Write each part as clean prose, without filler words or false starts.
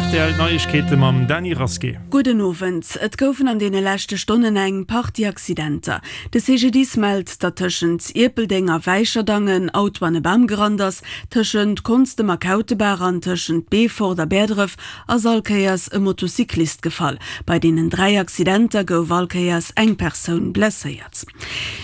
Rtl, D'Neiegkeete mam Dany Rasqué. Gudden Owend. Et goufen an deene leschte Stonnen eng Partie Accidenter. De CGDIS mellt, datt tëschent Ierpeldeng a Wäicherdang en Auto an e Bam gerannt ass. Tëschent Konstem a Kautebaach an tëschent Beefort a Bäerdref ass all Kéiers e Motocyclist gefall. Bei deenen 3 Accidenter gouf all Kéiers eng Persoun blesséiert.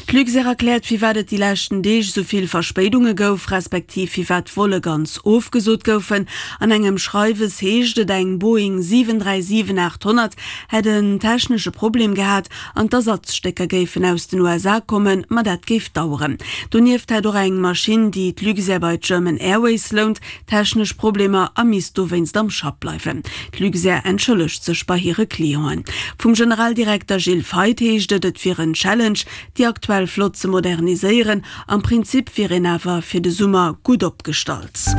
D'Luxair erkläert, firwat et déi leschten Deeg esou vill Verspéidunge gouf, respektiv firwat Volle ganz ofgesot goufen. An engem Schreiwes heescht et, eng Boeing 737-800 hätt en technesche Problem gehat an d'Ersatzstécker géifen aus den USA kommen, ma dat géif daueren. Donieft hätt och eng Maschinn, déi d'Luxair bei d'German Airways lount, technesch Problemer a misst dowéinst am Schapp bleiwen. D'Luxair entschëllegt sech bei hire Clienten. Vum Generaldirekter Gilles Feith heescht et, et wier en Challenge, déi aktuell Flott ze moderniséieren. Am Prinzip wier een awer fir de Summer gutt opgestallt.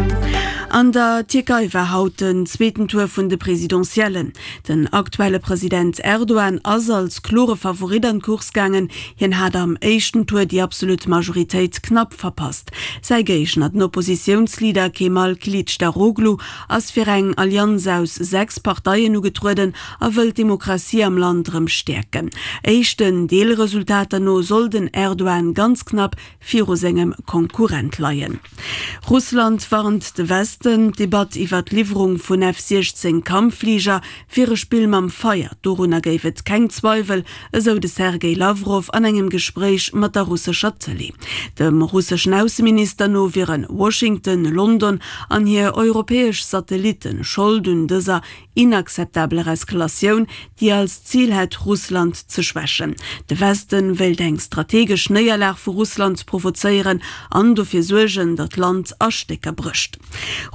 An der Tierkei war haut den zweeten Tour vun de Presidentiellen. Den aktuelle President Erdogan ass als klore Favorit an d'Course gaangen. Hien hat am éischten Tour déi absolut Majoritéit knapp verpasst. Säi Géigner, den Oppositiounsleader Kemal Kilicdaroglu, ass fir eng Allianz aus 6 Parteien ugetrueden a wëll d'Demokratie am Land erëm stäerken. Éischten Deelresultater no soll den Erdogan ganz knapp viru sengem Konkurrent leien. Russland warnt de Westen, d'Debatt iwwer d'Liwwerung vun F 16 Kampffliger wier e Spill mam Feier, dorunner géif et keng Zweiwel, esou de Sergej Lawrow an engem Gespréich mat der russescher Tëlee. Dem russeschen Ausseminister no wiere Washington, London an hir europäesch Satellitten Schold un dëser inakzeptabeler Eskalatioun, déi als Zil hätt, Russland ze schwächen. De Westen wéilt eng strategesch Néierlag vu Russland provozéieren an dofir suergen, datt d'Land a Stécker brécht.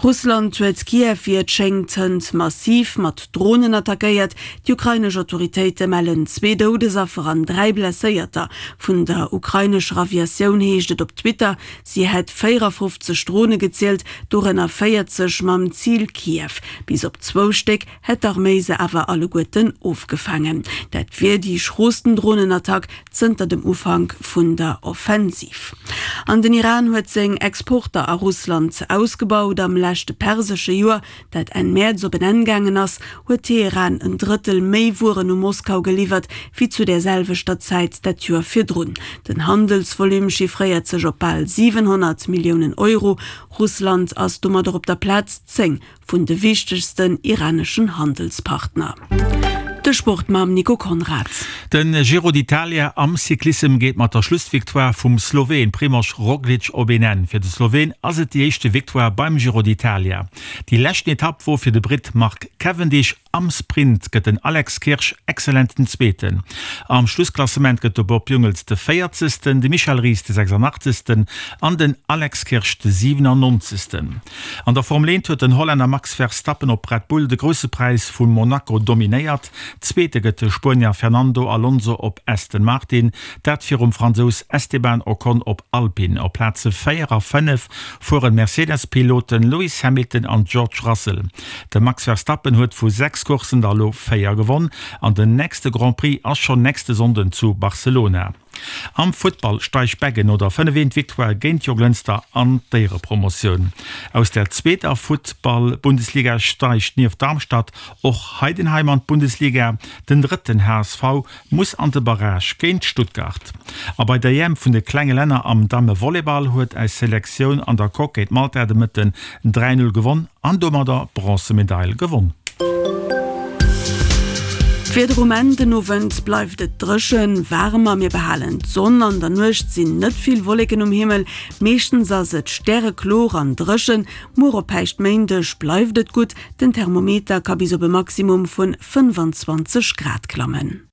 Russland huet Kiew wéi et schéngt hënt massiv mat Dronen attackéiert. Déi ukrainesch Autoritéite mellen zwee Doudesaffer an 3 Blesséierter. Vun der ukrainescher Aviatioun heescht et op Twitter, si hätt 54 Drone gezielt, dorënner 40 mam Zil Kiew. Bis op zwou Stéck hätt d'Arméi se awer alleguerten ofgefaangen. Dat wier déi schroosten Dronenattack zënter dem Ufank vun der Offensiv. An den Iran huet seng Exporter a Russland ausgebaut. Am leschte persesche Joer, dat Enn Mäerz op en Enn gaangen ass, huet Teheran en Drëttel méi Wueren u Moskau geliwwert, wéi zu där selwechter Zäit dat Joer virdrun. Den Handelsvolume chiffréiert sech op bal 700 Milliounen Euro. Russland ass domadder op der Plaz 10 vun de wichtegsten iraneschen Handelspartner. De Sport mam Nico Conrad. Den Giro d'Italia am Cyclissem geet mat der Schlussvictoire vum Sloween Primož Roglič op een Enn. Fir de Sloween ass et déi éischte Victoire beim Giro d'Italia. Déi leschten Etapp wor fir de Britt Mark Cavendish. Am Sprint gëtt den Alex Kirsch exzellenten Zweeten. Am Schlussklassement gëtt de Bob Jungels de Véierzegsten, de Michel Ries de 86. An den Alex Kirsch de 97. An der Formel 1 huet den Hollänner Max Verstappen op Red Bull de Grousse Präis vu Monaco dominéiert. Zweete gëtt de Spuenier Fernando Alonso op Aston Martin, dat virum Fransous Esteban Ocon op Alpine. Op Plaze 4 a 5 fueren d'Mercedes-Piloten Lewis Hamilton an George Russell. De Max Verstappen huet vu 6 Courssen der elo 4 gewonn an den nächste Grand Prix ass schonn nächste Sonnden zu Barcelona. Am Futtball steigt Beggen no der 5 eent Victoire géint Jonglënster an d'Éierepromotioun. Aus der zweeter Futtball-Bundesliga steigt nieft Darmstadt och Heidenheim an d'Bundesliga. Den drëtten HSV muss an de Barrage géint Stuttgart. A bei der EM vun de klenge Länner am Damme-Volleyball huet eis Selektioun an der Coque géint Malta de Mëtten 3, 0 gewonn an domadder d'Bronzemedail gewonn. D'Wieder um Enn den Owend bleift et dréchen, waarem a mir behalen d'Sonn. An der Nuecht sinn net vill Wolleken um Himmel, meeschtens ass et stäreklor an dréchen. Muer op Päischtméindeg bleift et gutt, den Thermometer ka bis op e Maximum vun 25 Grad klammen.